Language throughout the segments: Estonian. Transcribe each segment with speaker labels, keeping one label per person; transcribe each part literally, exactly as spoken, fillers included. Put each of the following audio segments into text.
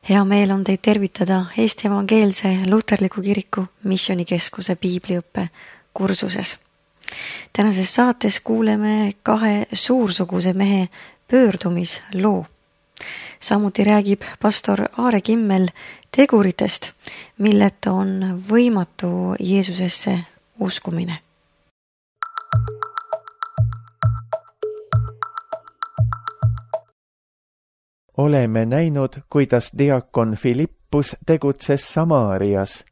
Speaker 1: Hea meel on teid tervitada Eesti Evangeelse Luterliku Kiriku Missioonikeskuse piibliõppe kursuses. Tänases saates kuuleme kahe suursuguse mehe pöördumisloo. Samuti räägib pastor Aare Kimmel teguritest, milleta on võimatu Jeesusesse uskumine.
Speaker 2: Oleme näinud, kuidas diakon Filippus tegutses Samaarias.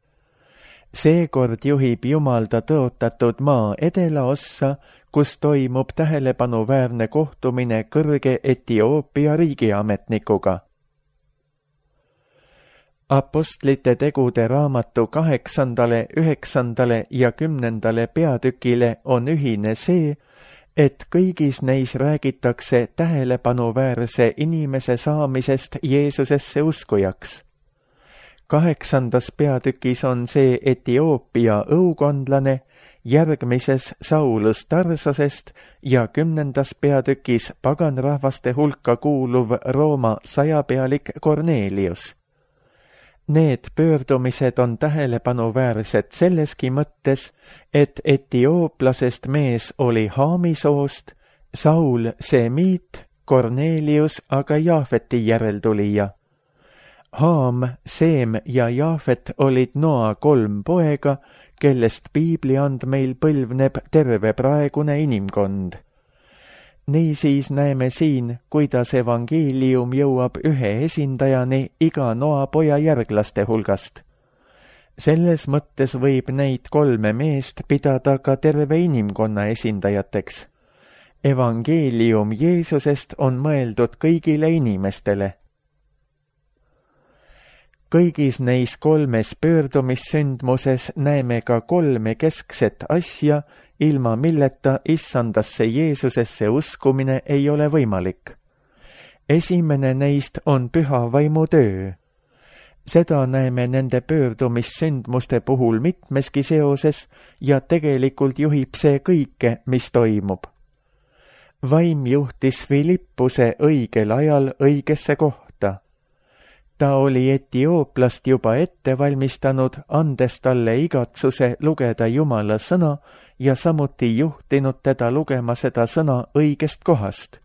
Speaker 2: Seekord juhib Jumal ta tõotatud maa edelaossa, kus toimub tähelepanuväärne kohtumine kõrge Etioopia riigiametnikuga. Apostlite tegude raamatu kaheksandale, üheksandale ja kümnendale peatükile on ühine see, et kõigis neis räägitakse tähelepanuväärse inimese saamisest Jeesusesse uskujaks. Kaheksandas peatükis on see Etioopia õukondlane, järgmises Saulus Tarsosest ja kümnendas peatükis paganrahvaste hulka kuuluv Rooma sajapealik Kornelius. Need pöördumised on tähelepanuväärsed selleski mõttes, et etiooplasest mees oli Haami soost, Saul semiit, Kornelius aga Jaafeti järeltulija. Haam, Seem ja Jaafet olid Noa kolm poega, kellest piibli andmeil põlvneb terve praegune inimkond. Niisiis näeme siin, kuidas evangeelium jõuab ühe esindajani iga Noa poja järglaste hulgast. Selles mõttes võib neid kolme meest pidada ka terve inimkonna esindajateks. Evangeelium Jeesusest on mõeldud kõigile inimestele. Kõigis neis kolmes pöördumissündmuses näeme ka kolme keskset asja, ilma milleta issandasse Jeesusesse uskumine ei ole võimalik. Esimene neist on püha vaimu töö. Seda näeme nende pöördumissündmuste puhul mitmeski seoses ja tegelikult juhib see kõike, mis toimub. Vaim juhtis Filippuse õigel ajal õigesse kohta. Ta oli Etiooplast juba ette valmistanud, andes talle igatsuse lugeda Jumala sõna ja samuti juhtinud teda lugema seda sõna õigest kohast.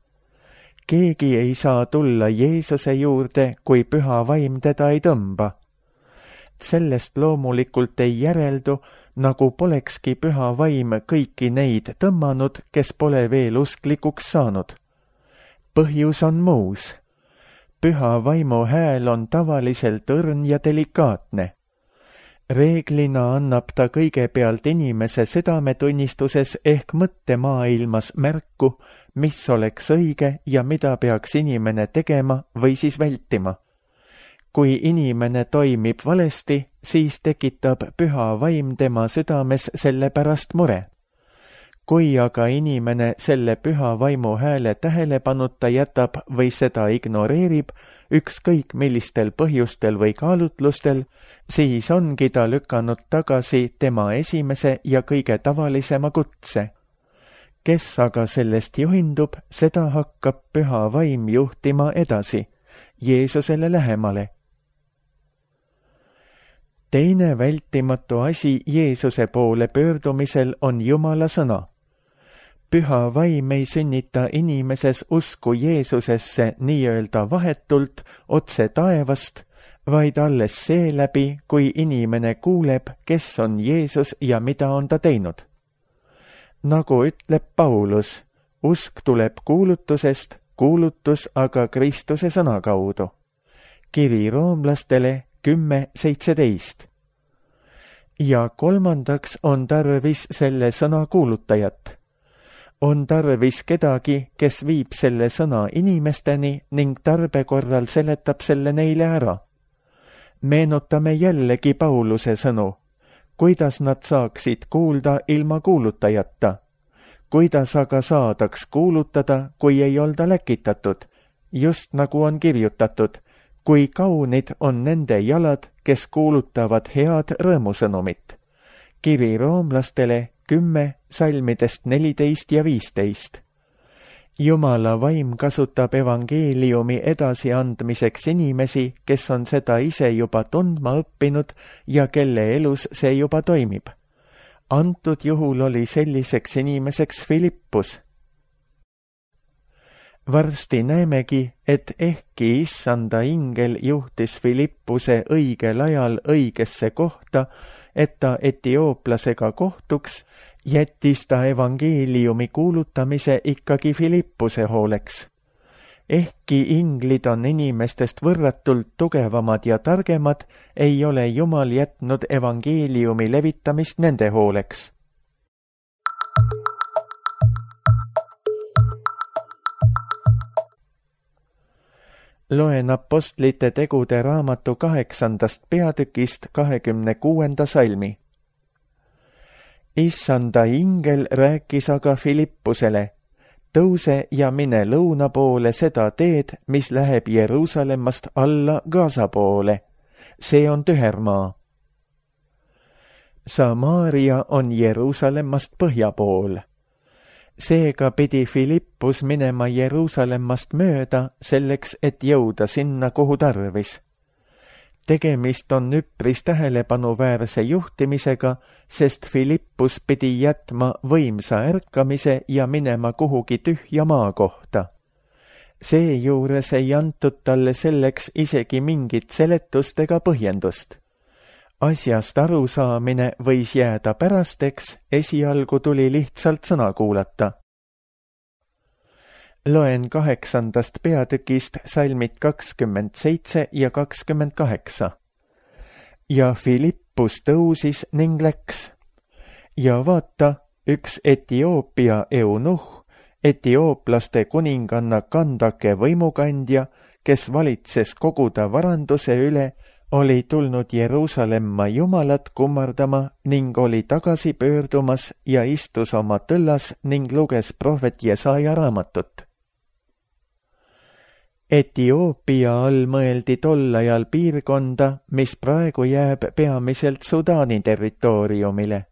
Speaker 2: Keegi ei saa tulla Jeesuse juurde, kui püha vaim teda ei tõmba. Sellest loomulikult ei järeldu, nagu polekski püha vaim kõiki neid tõmmanud, kes pole veel usklikuks saanud. Põhjus on muus. Püha vaimu hääl on tavaliselt õrn ja delikaatne. Reeglina annab ta kõigepealt inimese südametunnistuses ehk mõttemaailmas märku, mis oleks õige ja mida peaks inimene tegema või siis vältima. Kui inimene toimib valesti, siis tekitab püha vaim tema südames selle pärast mure. Kui aga inimene selle püha vaimu hääle tähelepanuta jätab või seda ignoreerib, ükskõik millistel põhjustel või kaalutlustel, siis ongi ta lükanud tagasi tema esimese ja kõige tavalisema kutse. Kes aga sellest juhindub, seda hakkab püha vaim juhtima edasi, Jeesusele lähemale. Teine vältimatu asi Jeesuse poole pöördumisel on Jumala sõna. Püha vaim ei sünnita inimeses usku Jeesusesse nii-öelda vahetult otse taevast, vaid alles seeläbi, kui inimene kuuleb, kes on Jeesus ja mida on ta teinud. Nagu ütleb Paulus, usk tuleb kuulutusest, kuulutus aga Kristuse sõna kaudu. Kiri roomlastele kümme seitseteist. Ja kolmandaks on tarvis selle sõna kuulutajat. On tarvis kedagi, kes viib selle sõna inimesteni ning tarbekorral seletab selle neile ära. Meenutame jällegi Pauluse sõnu. Kuidas nad saaksid kuulda ilma kuulutajata? Kuidas aga saadaks kuulutada, kui ei olda läkitatud? Just nagu on kirjutatud, kui kaunid on nende jalad, kes kuulutavad head rõõmusõnumit. Kiri roomlastele kümme salmidest neliteist ja viisteist. Jumala vaim kasutab evangeeliumi edasiandmiseks inimesi, kes on seda ise juba tundma õppinud ja kelle elus see juba toimib. Antud juhul oli selliseks inimeseks Filippus. Varsti näemegi, et ehkki issanda ingel juhtis Filippuse õigel ajal õigesse kohta, et ta etiooplasega kohtuks, jättis ta evangeeliumi kuulutamise ikkagi Filippuse hooleks. Ehkki inglid on inimestest võrratult tugevamad ja targemad, ei ole Jumal jätnud evangeeliumi levitamist nende hooleks. Loen apostlite tegude raamatu kaheksandast peatükist kahekümne kuuenda salmi. Issanda ingel rääkis aga Filippusele, tõuse ja mine lõuna poole seda teed, mis läheb Jeruusalemmast alla Gaza poole. See on tühermaa. Samaaria on Jeruusalemmast põhja pool. Seega pidi Filippus minema Jeruusalemmast mööda selleks, et jõuda sinna, kuhu tarvis. Tegemist on üpris tähelepanuväärse juhtimisega, sest Filippus pidi jätma võimsa ärkamise ja minema kuhugi tühja maa kohta. Seejuures ei antud talle selleks isegi mingit seletust ega põhjendust. Asjast arusaamine võis jääda pärasteks, esialgu tuli lihtsalt sõna kuulata. Loen kaheksandast peatükist salmid kakskümmend seitse ja kakskümmend kaheksa. Ja Filippus tõusis ning läks. Ja vaata, üks Etioopia eunuh, etiooplaste kuninganna Kandake võimukandja, kes valitses koguda varanduse üle, oli tulnud Jeruusalemma Jumalat kummardama ning oli tagasi pöördumas ja istus oma tõllas ning luges prohvet Jesaja raamatut. Etioopia all mõeldi tol ajal piirkonda, mis praegu jääb peamiselt Sudaani territooriumile.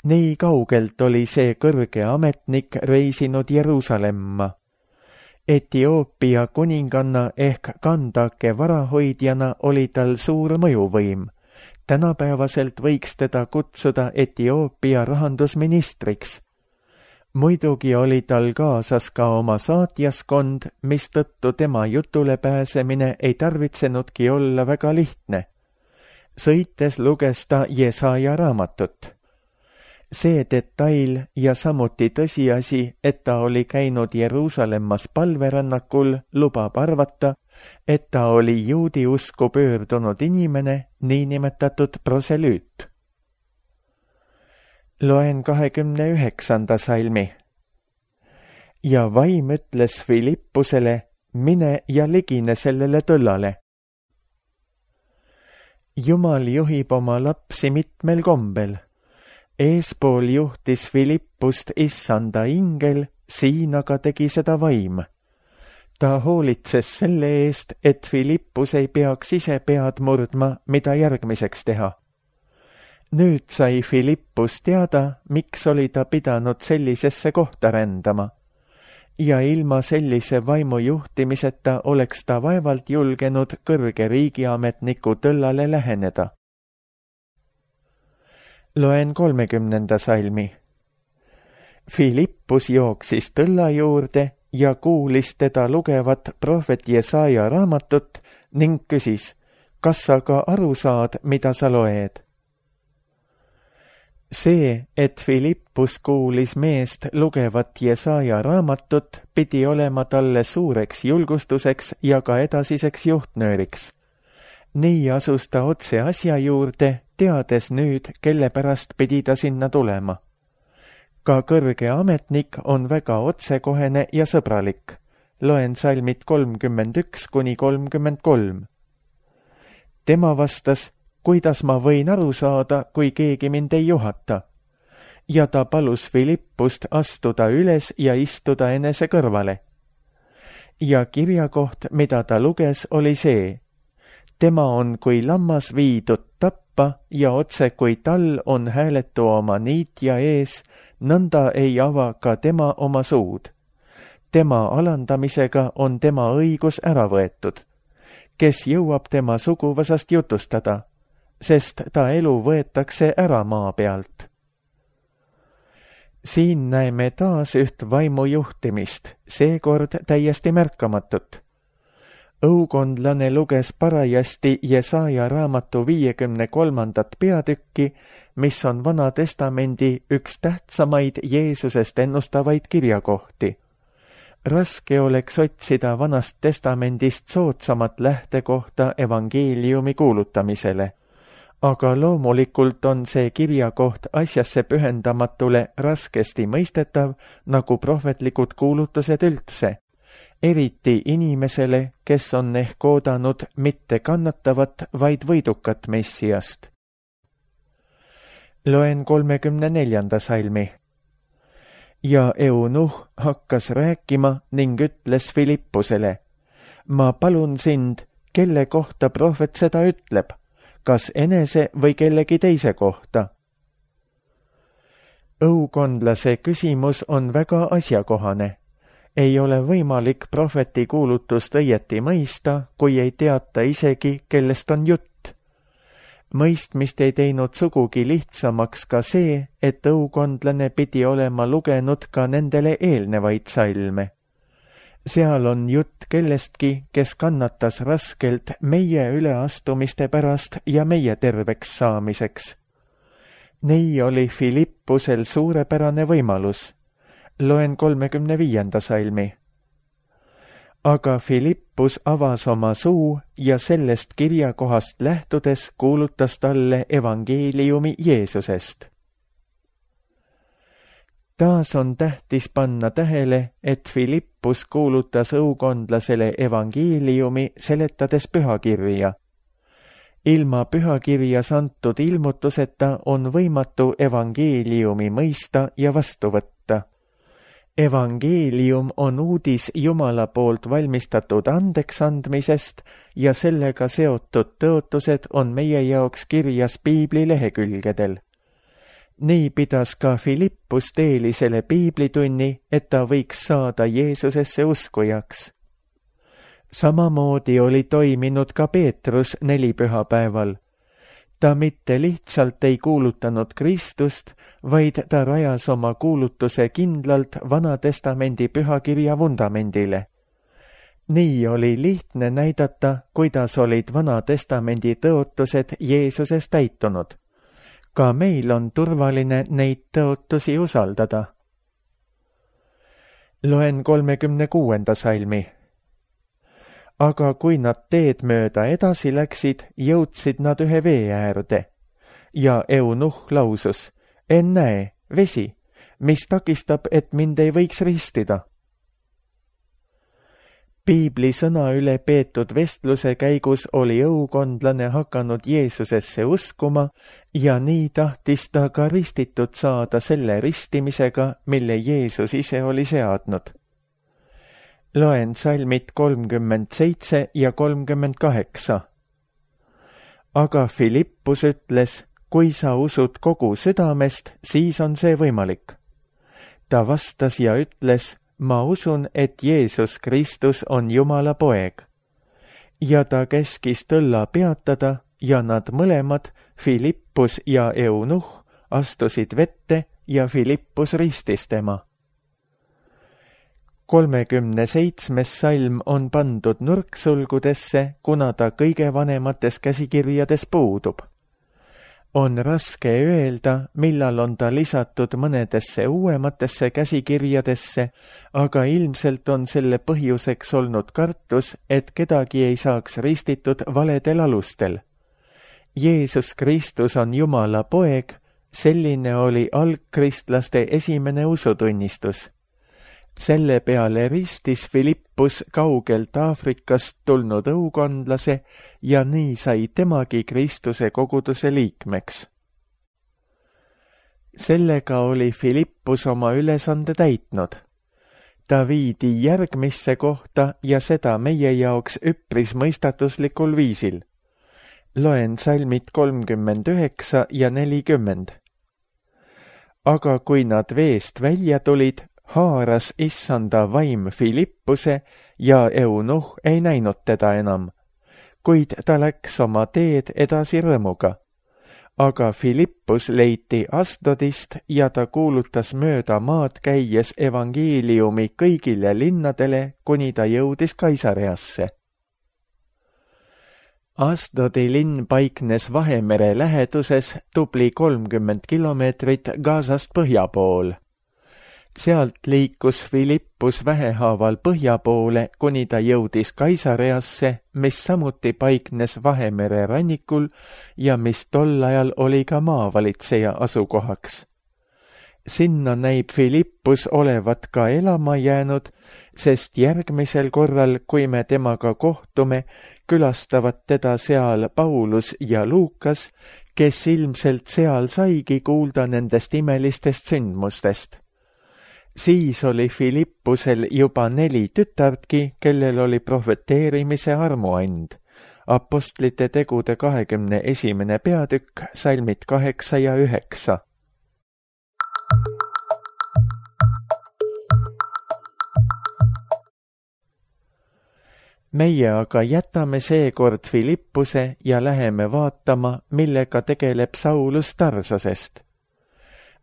Speaker 2: Nii kaugelt oli see kõrge ametnik reisinud Jeruusalemma. Etioopia kuninganna ehk Kandake varahoidjana oli tal suur mõjuvõim. Tänapäevaselt võiks teda kutsuda Etioopia rahandusministriks. Muidugi oli tal kaasas ka oma saatjaskond, mistõttu tema jutule pääsemine ei tarvitsenudki olla väga lihtne. Sõites luges ta Jesaja raamatut. See detail ja samuti tõsiasi, et ta oli käinud Jeruusalemmas palverännakul, lubab arvata, et ta oli juudi usku pöördunud inimene, niinimetatud proselüüt. Loen kahekümne üheksanda salmi. Ja vaim ütles Filippusele, mine ja ligine sellele tõllale. Jumal juhib oma lapsi mitmel kombel. Eespool juhtis Filippust issanda ingel, siin aga tegi seda vaim. Ta hoolitses selle eest, et Filippus ei peaks ise pead murdma, mida järgmiseks teha. Nüüd sai Filippus teada, miks oli ta pidanud sellisesse kohta rändama. Ja ilma sellise vaimu juhtimiseta oleks ta vaevalt julgenud kõrge riigiametniku tõllale läheneda. Loen kolmekümnenda salmi. Filippus jooksis tõlla juurde ja kuulis teda lugevat prohvet Jesaja raamatut ning küsis, kas sa ka aru saad, mida sa loed? See, et Filippus kuulis meest lugevat Jesaja raamatut, pidi olema talle suureks julgustuseks ja ka edasiseks juhtnööriks. Nii asus ta otse asja juurde, teades nüüd, kelle pärast pidi ta sinna tulema. Ka kõrge ametnik on väga otsekohene ja sõbralik. Loen salmid kolmkümmend üks kuni kolmkümmend kolm. Tema vastas, kuidas ma võin aru saada, kui keegi mind ei juhata? Ja ta palus Filippust astuda üles ja istuda enese kõrvale. Ja kirjakoht, mida ta luges, oli see. Tema on kui lammas viidud tappa ja otse kui tal on hääletu oma niitja ees, nõnda ei ava ka tema oma suud. tema alandamisega on tema õigus ära võetud. Kes jõuab tema suguvõsast jutustada, sest ta elu võetakse ära maa pealt. Siin näeme taas üht vaimu juhtimist, seekord täiesti märkamatut. Õukondlane luges parajasti Jesaja raamatu viiekümne kolmandat peatükki, mis on Vana Testamendi üks tähtsamaid Jeesusest ennustavaid kirjakohti. Raske oleks otsida Vanast Testamendist soodsamat lähtekohta evangeeliumi kuulutamisele, aga loomulikult on see kirjakoht asjasse pühendamatule raskesti mõistetav nagu prohvetlikud kuulutused üldse, eriti inimesele, kes on ehk oodanud mitte kannatavat, vaid võidukat messiast. Loen kolmekümne neljanda salmi. Ja Eunuh hakkas rääkima ning ütles Filippusele, ma palun sind, kelle kohta prohvet seda ütleb, kas enese või kellegi teise kohta? Õukondlase küsimus on väga asjakohane. Ei ole võimalik prohveti kuulutust õieti mõista, kui ei teata isegi, kellest on jutt. Mõistmist ei teinud sugugi lihtsamaks ka see, et õukondlane pidi olema lugenud ka nendele eelnevaid salme. Seal on jutt kellestki, kes kannatas raskelt meie üleastumiste pärast ja meie terveks saamiseks. Nii oli Filippusel suurepärane võimalus. Loen kolmekümne viienda salmi. Aga Filippus avas oma suu ja sellest kirjakohast lähtudes kuulutas talle evangeeliumi Jeesusest. Taas on tähtis panna tähele, et Filippus kuulutas õukondlasele evangeeliumi seletades pühakirja. Ilma pühakirjas antud ilmutuseta on võimatu evangeeliumi mõista ja vastu võtta. Evangeelium on uudis Jumala poolt valmistatud andeksandmisest ja sellega seotud tõotused on meie jaoks kirjas piibli lehekülgedel. Nii pidas ka Filippus teelisele piiblitunni, et ta võiks saada Jeesusesse uskujaks. Samamoodi oli toiminud ka Peetrus nelipühapäeval. Ta mitte lihtsalt ei kuulutanud Kristust, vaid ta rajas oma kuulutuse kindlalt Vana Testamendi pühakirja vundamendile. Nii oli lihtne näidata, kuidas olid Vana Testamendi tõotused Jeesuses täitunud. Ka meil on turvaline neid tõotusi usaldada. Loen kolmekümne kuuenda salmi. Aga kui nad teed mööda edasi läksid, jõudsid nad ühe vee äärde. Ja Eunuh lausus, ennäe, vesi, mis takistab, et mind ei võiks ristida. Piibli sõna üle peetud vestluse käigus oli õukondlane hakanud Jeesusesse uskuma ja nii tahtis ta ka ristitud saada selle ristimisega, mille Jeesus ise oli seadnud. Loen salmid kolmkümmend seitse ja kolmkümmend kaheksa. Aga Filippus ütles, kui sa usud kogu südamest, siis on see võimalik. Ta vastas ja ütles, ma usun, et Jeesus Kristus on Jumala poeg. Ja ta käskis tõlla peatada ja nad mõlemad, Filippus ja Eunuh, astusid vette ja Filippus ristis tema. kolmekümne seitsmes salm on pandud nurksulgudesse, kuna ta kõige vanemates käsikirjades puudub. On raske öelda, millal on ta lisatud mõnedesse uuematesse käsikirjadesse, aga ilmselt on selle põhjuseks olnud kartus, et kedagi ei saaks ristitud valedel alustel. Jeesus Kristus on Jumala poeg, selline oli algkristlaste esimene usutunnistus. Selle peale ristis Filippus kaugelt Aafrikast tulnud õukondlase ja nii sai temagi Kristuse koguduse liikmeks. Sellega oli Filippus oma ülesande täitnud. Ta viidi järgmisse kohta ja seda meie jaoks üpris mõistatuslikul viisil. Loen salmid kolmkümmend üheksa ja nelikümmend. Aga kui nad veest välja tulid, haaras issanda vaim Filippuse ja eunuh ei näinud teda enam, kuid ta läks oma teed edasi rõõmuga. Aga Filippus leiti Asdodist ja ta kuulutas mööda maad käies evangeeliumi kõigile linnadele, kuni ta jõudis Kaisareasse. Asdodi linn paiknes Vahemere läheduses tubli kolmkümmend kilomeetrit Gazast põhja pool. Sealt liikus Filippus vähehaaval põhja poole, kuni ta jõudis Kaisareasse, mis samuti paiknes Vahemere rannikul ja mis tol ajal oli ka maavalitseja asukohaks. Sinna näib Filippus olevat ka elama jäänud, sest järgmisel korral, kui me temaga kohtume, külastavad teda seal Paulus ja Luukas, kes ilmselt seal saigi kuulda nendest imelistest sündmustest. Siis oli Filippusel juba neli tütartki, kellel oli prohveteerimise armuand. Apostlite tegude kahekümne esimene peatükk, salmid kaheksa ja üheksa. Meie aga jätame seekord Filippuse ja läheme vaatama, millega tegeleb Saulus Tarsosest.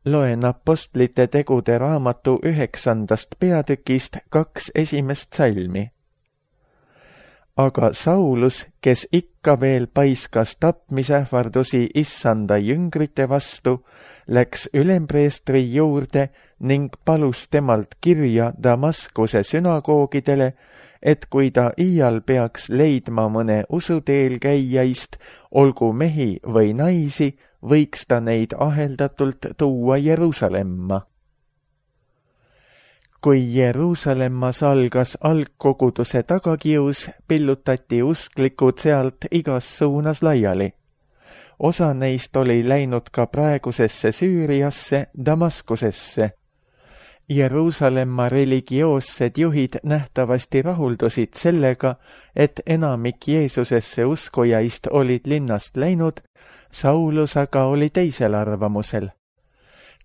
Speaker 2: Loen Apostlite tegude raamatu üheksandast peatükist kaks esimest salmi. Aga Saulus, kes ikka veel paiskas tapmisähvardusi issanda jüngrite vastu, läks ülempreestri juurde ning palus temalt kirja Damaskuse sünagoogidele, et kui ta iial peaks leidma mõne usuteel käijaist, olgu mehi või naisi, võiks ta neid aheldatult tuua Jeruusalemma. Kui Jeruusalemmas algas algkoguduse tagakius, pillutati usklikud sealt igas suunas laiali. Osa neist oli läinud ka praegusesse Süüriasse, Damaskusesse. Jeruusalemma religioossed juhid nähtavasti rahuldusid sellega, et enamik Jeesusesse uskujaist olid linnast läinud, Saulus aga oli teisel arvamusel.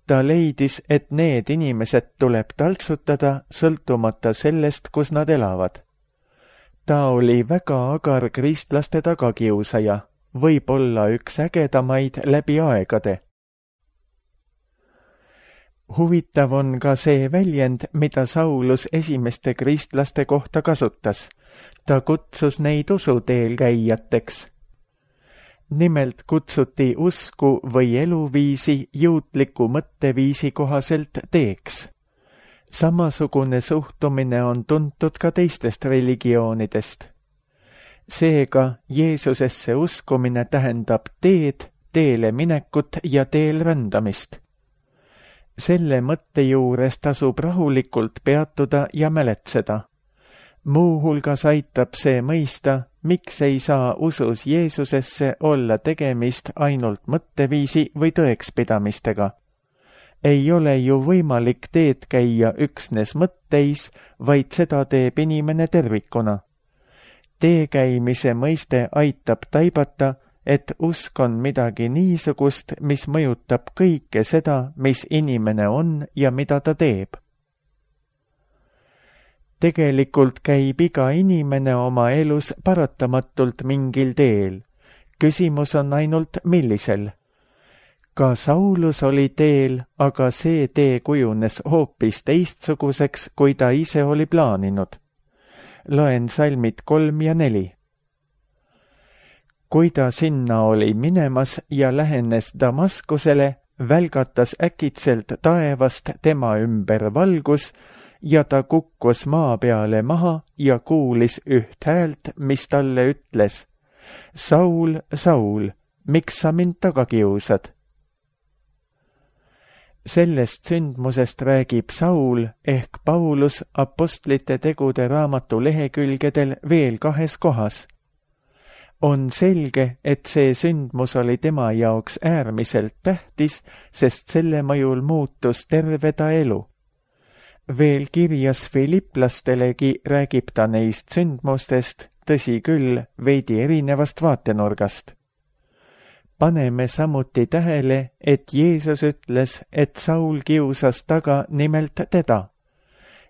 Speaker 2: Ta leidis, et need inimesed tuleb taltsutada, sõltumata sellest, kus nad elavad. Ta oli väga agar kristlaste tagakiusaja, võib olla üks ägedamaid läbi aegade. Huvitav on ka see väljend, mida Saulus esimeste kristlaste kohta kasutas. Ta kutsus neid usuteel käijateks. Nimelt kutsuti usku või eluviisi juutliku mõtteviisi kohaselt teeks. Samasugune suhtumine on tuntud ka teistest religioonidest. Seega Jeesusesse uskumine tähendab teed, teele minekut ja teel rändamist. Selle mõtte juures tasub rahulikult peatuda ja mäletseda. Muuhulgas aitab see mõista, miks ei saa usus Jeesusesse olla tegemist ainult mõtteviisi või tõekspidamistega. Ei ole ju võimalik teed käia üksnes mõtteis, vaid seda teeb inimene tervikuna. Tee käimise mõiste aitab taibata, et usk on midagi niisugust, mis mõjutab kõike seda, mis inimene on ja mida ta teeb. Tegelikult käib iga inimene oma elus paratamatult mingil teel. Küsimus on ainult millisel. Ka Saulus oli teel, aga see tee kujunes hoopis teistsuguseks, kui ta ise oli plaaninud. Loen salmid kolm ja neli. Kui ta sinna oli minemas ja lähenes Damaskusele, välgatas äkitselt taevast tema ümber valgus ja ta kukkus maa peale maha ja kuulis üht häält, mis talle ütles: Saul, Saul, miks sa mind taga kiusad? Sellest sündmusest räägib Saul ehk Paulus Apostlite tegude raamatu lehekülgedel veel kahes kohas. On selge, et see sündmus oli tema jaoks äärmiselt tähtis, sest selle mõjul muutus terve ta elu. Veel kirjas Filiplastelegi räägib ta neist sündmustest, tõsi küll, veidi erinevast vaatenurgast. Paneme samuti tähele, et Jeesus ütles, et Saul kiusas taga nimelt teda.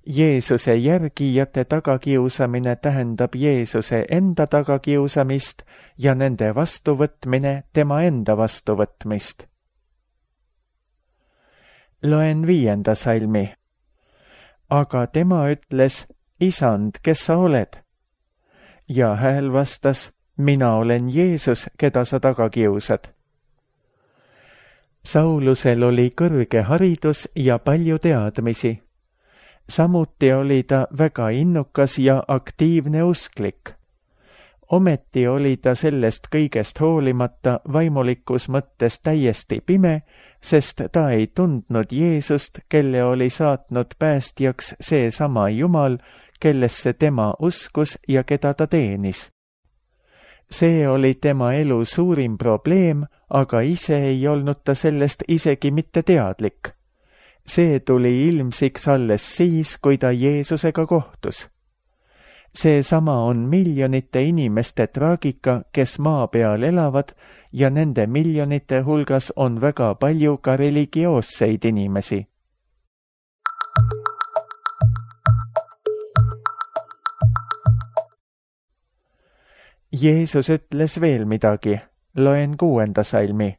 Speaker 2: Jeesuse järgijate tagakiusamine tähendab Jeesuse enda tagakiusamist ja nende vastuvõtmine tema enda vastuvõtmist. Loen viienda salmi. Aga tema ütles, Isand, kes sa oled? Ja hääl vastas, mina olen Jeesus, keda sa taga kiusad. Saulusel oli kõrge haridus ja palju teadmisi. Samuti oli ta väga innukas ja aktiivne usklik. Ometi oli ta sellest kõigest hoolimata vaimulikus mõttes täiesti pime, sest ta ei tundnud Jeesust, kelle oli saatnud päästjaks seesama Jumal, kellesse tema uskus ja keda ta teenis. See oli tema elu suurim probleem, aga ise ei olnud ta sellest isegi mitte teadlik. See tuli ilmsiks alles siis, kui ta Jeesusega kohtus. Seesama on miljonite inimeste traagika, kes maa peal elavad ja nende miljonite hulgas on väga palju ka religioosseid inimesi. Jeesus ütles veel midagi, loen kuuenda salmi.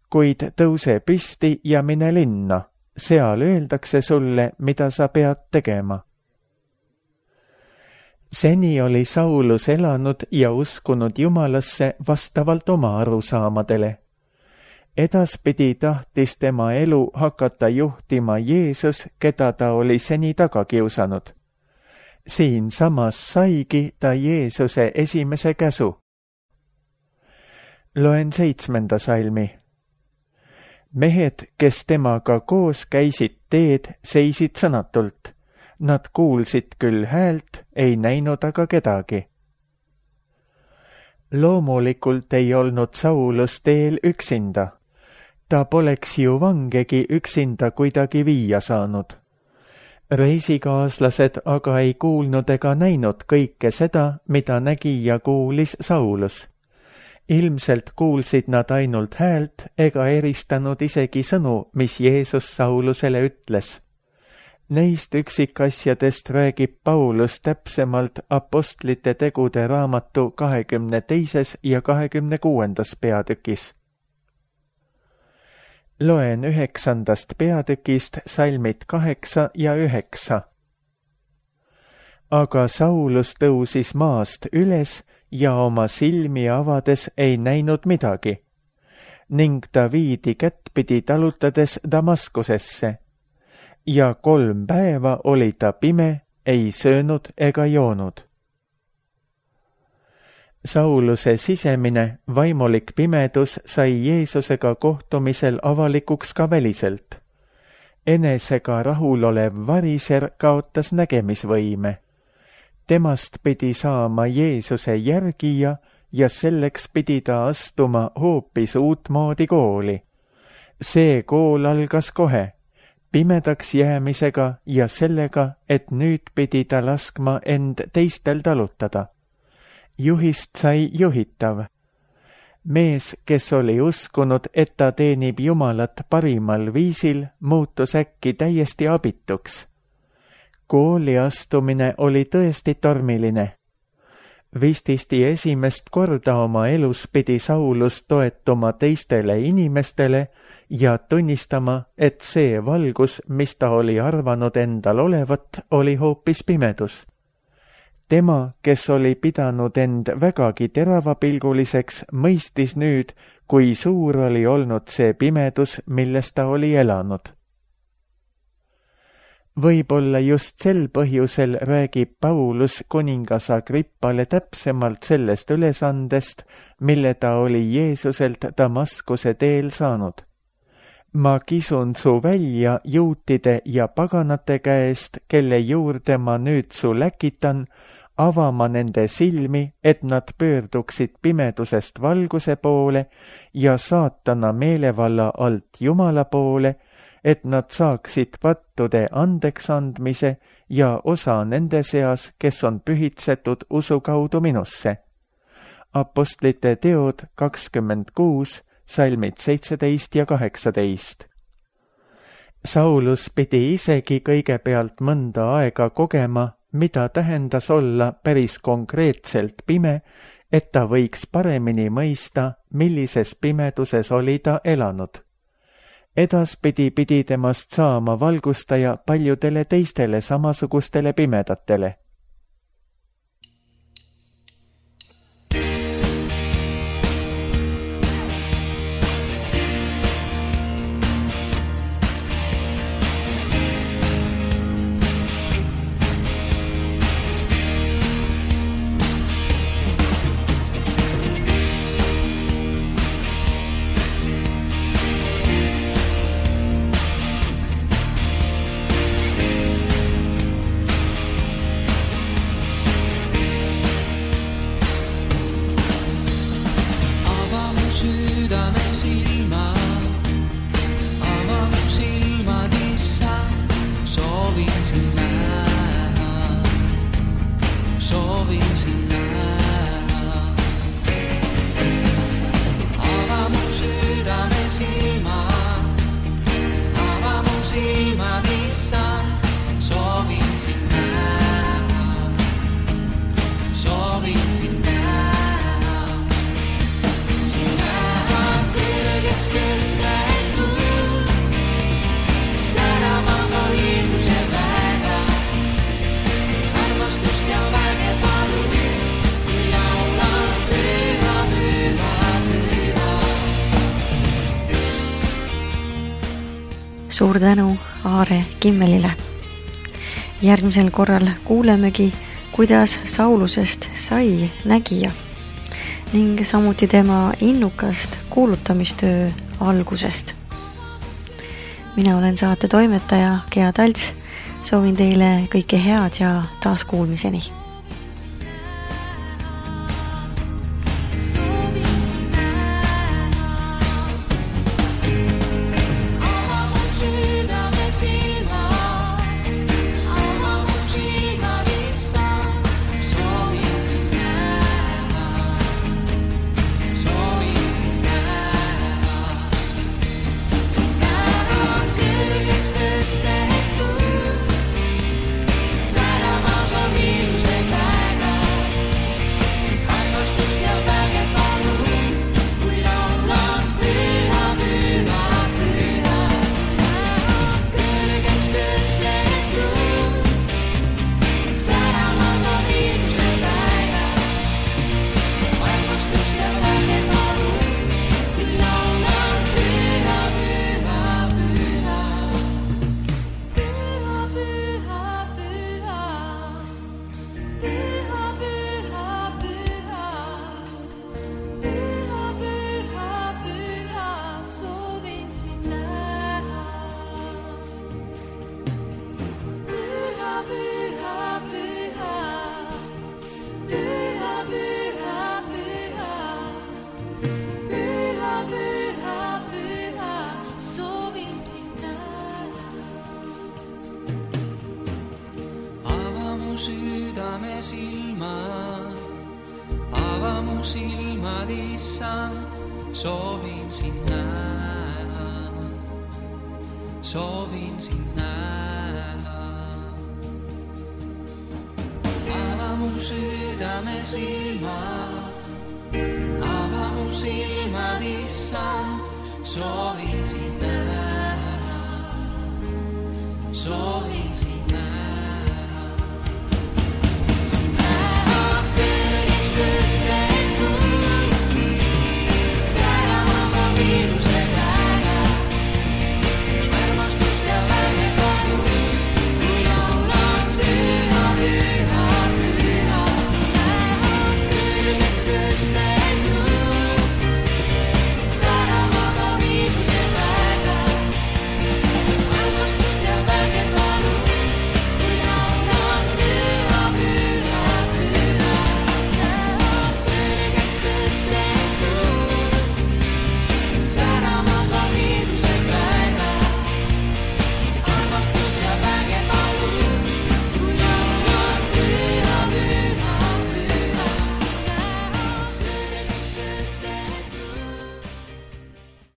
Speaker 2: Kuid tõuse püsti ja mine linna, seal öeldakse sulle, mida sa pead tegema. Seni oli Saulus elanud ja uskunud Jumalasse vastavalt oma arusaamadele. Edaspidi tahtis tema elu hakata juhtima Jeesus, keda ta oli seni taga kiusanud. Siin samas saigi ta Jeesuse esimese käsu. Loen seitsmenda salmi. Mehed, kes temaga koos käisid teed, seisid sõnatult. Nad kuulsid küll häält, ei näinud aga kedagi. Loomulikult ei olnud Saulus teel üksinda. Ta poleks ju vangegi üksinda kuidagi viia saanud. Reisikaaslased aga ei kuulnud ega näinud kõike seda, mida nägi ja kuulis Saulus. Ilmselt kuulsid nad ainult häält ega eristanud isegi sõnu, mis Jeesus Saulusele ütles. Neist üksikasjadest räägib Paulus täpsemalt apostlite tegude raamatu kahekümne teises ja kahekümne kuuendas peatükis. Loen üheksandast peatükist salmid kaheksa ja üheksa. Aga Saulus tõusis maast üles ja oma silmi avades ei näinud midagi, ning ta viidi kättpidi talutades Damaskusesse. Ja kolm päeva oli ta pime, ei söönud ega joonud. Sauluse sisemine vaimulik pimedus sai Jeesusega kohtumisel avalikuks ka väliselt. Enesega rahulolev variser kaotas nägemisvõime. Temast pidi saama Jeesuse järgija ja selleks pidi ta astuma hoopis uutmoodi kooli. See kool algas kohe. Pimedaks jäämisega ja sellega, et nüüd pidi ta laskma end teistel talutada. Juhist sai juhitav. Mees, kes oli uskunud, et ta teenib Jumalat parimal viisil, muutus äkki täiesti abituks. Kooli astumine oli tõesti tormiline. Vististi esimest korda oma elus pidi Saulus toetuma teistele inimestele ja tunnistama, et see valgus, mis ta oli arvanud endal olevat, oli hoopis pimedus. Tema, kes oli pidanud end vägagi teravapilguliseks, mõistis nüüd, kui suur oli olnud see pimedus, milles ta oli elanud. Võib-olla just sel põhjusel räägib Paulus kuningas Agrippale täpsemalt sellest ülesandest, mille ta oli Jeesuselt Damaskuse teel saanud. Ma kisun su välja juutide ja paganate käest, kelle juurde ma nüüd su läkitan, avama nende silmi, et nad pöörduksid pimedusest valguse poole ja saatana meelevalla alt Jumala poole, et nad saaksid pattude andeks andmise ja osa nende seas, kes on pühitsetud usu kaudu minusse. Apostlite teod kakskümmend kuus, salmid seitseteist ja kaheksateist. Saulus pidi isegi kõigepealt mõnda aega kogema, mida tähendas olla päris konkreetselt pime, et ta võiks paremini mõista, millises pimeduses oli ta elanud. Edaspidi pidi temast saama valgustaja paljudele teistele samasugustele pimedatele.
Speaker 1: Suur tänu Aare Kimmelile. Järgmisel korral kuulemegi, kuidas Saulusest sai nägija ning samuti tema innukast kuulutamistöö algusest. Mina olen saate toimetaja Gea Talts. Soovin teile kõike head ja taas kuulmiseni.
Speaker 3: silmad, ava mu silmad, issand, soovin sind näha, soovin sind näha. Ava mu südame silmad, ava mu silmad, issand, soovin sind näha, soovin sind näha. Tõstetud, säramas on viirus.